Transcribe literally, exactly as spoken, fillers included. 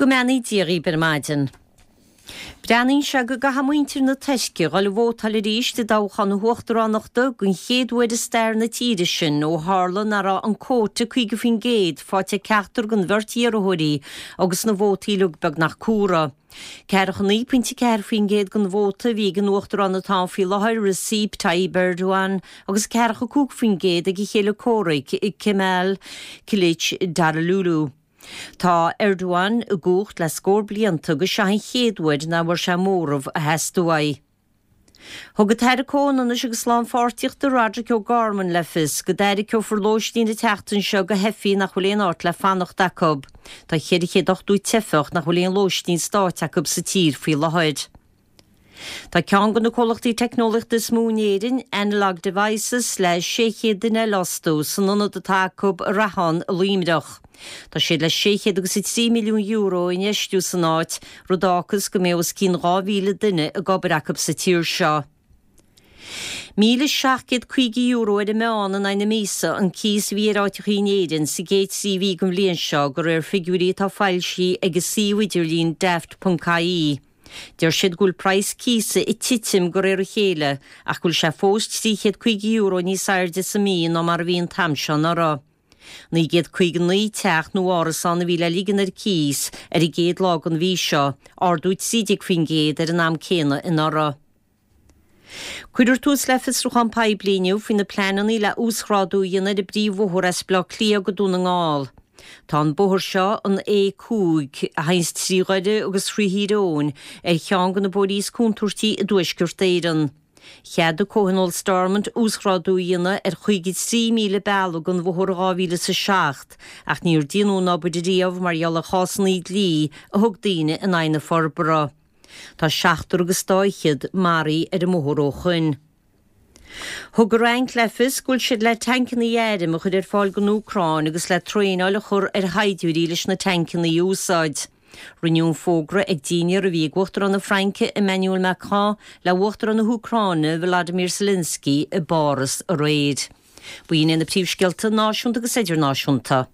Go mbeannaí Dia dhaoibh ar maidin. Breathnaíonn sé go gcaithfidh muintir na Tuirce dhul ag vótáil arís i dtoghchán na huachtaránachta den chéad uair i stair na tíre sin ó tharla nach raibh an cuóta caoga faoin gcéad faighte ag ceachtar den bheirt iarrthóirí agus na vótaí uilig beagnach cumhra. Ceathracha naoi pointe ceathair faoin gcéad den vóta a bhí ag an uachtarán atá ann faoi láthair Recep Tayyip Erdogan agus ceathracha cúig faoin gcéad ag a chéile comhraic Kemal Kılıçdaroğlu. Tá Erdogan i gcumhacht le scór blianta agus seo an chéad uair nach bhfuair sé móramh a theastaigh uaidh. Thug an tAire Comhionannais agus Lánpháirtíochta Roderic O'Gorman le fios go dtarraiceofar lóistín an tseachtain seo do theifigh nach bhfuil aon áit le fanacht acu. Tá ceithre chéad ochtó teifeach nach bhfuil aon lóistín stáit acu sa tír faoi láthair. Tá ceann de na comhlachtaí teicneolaíochta is mó in Éirinn, Analog Devices le sé chéad duine a fhostú san ionad atá acu i Rathán i Luimneach. Tá siad le sé chéad agus a trí milliún euro a infheistiú san áit, rud a fhágfas go mbeidh os cionn dhá mhíle duine ag obair acu sa tír seo. Míle seacht gcéad caoga euro ar an meán in aghaidh na míosa an cíos a bhí ar áiteachaí in Éirinn sa gcéad trí mhí den bhliain seo de réir figiúirí atá foilsithe ag an suíomh idirlín daft.ie. Deir siad go bhfuil praghas cíosa ag titim de réir a chéile ach go bhfuil sé fós trí chéad caoga euro níos airde sa mí ná mar a bhí an t-am seo anuraidh. Naoi gcéad caoga naoi teach nó árasán a bhí le ligean ar cíos ar an gcéad lá den mhí seo, ardú trí déag faoin gcéad ar an am céanna anuraidh. Cuirfear tús le fiosrúchán poiblí inniu faoi na pleananna le uasghrádú a dhéanamh ar an bpríomhbhóthar as Baile Átha Cliath go Dún na nGall. Tá an bóthar seo an A cúig a théanns trí Dhoire agus trí Thír Eoghain ar cheann de na bóithrí is contúirtí i dTuaisceart Éireann. Cheadaigh Comhthionól Stormont uasghrádú a dhéanamh ar chaoga trí míle bealaigh den bhóthar dhá mhíle is a seacht, ach níor déanadh an obair riamh mar gheall ar chásanna dlí a thug daoine in aghaidh na forbartha. Tá seachtar agus dá fhichead maraithe ar an mbóthar ó shoin. Thug an Fhrainc le fios go bhfuil siad le tancanna airm a chur ar fáil don Úcráin agus le traenáil a chur ar shaighdiúirí leis na tancanna a úsáid. Rinneadh an fógra ag dinnéar a bhí ag Uachtarán na Fraince Emmanuel Macron le Uachtarán na hÚcráine Volodymyr Zelensky i bPáras aréir. B'in iad na príomhscéalta náisiúnta agus idirnáisiúnta.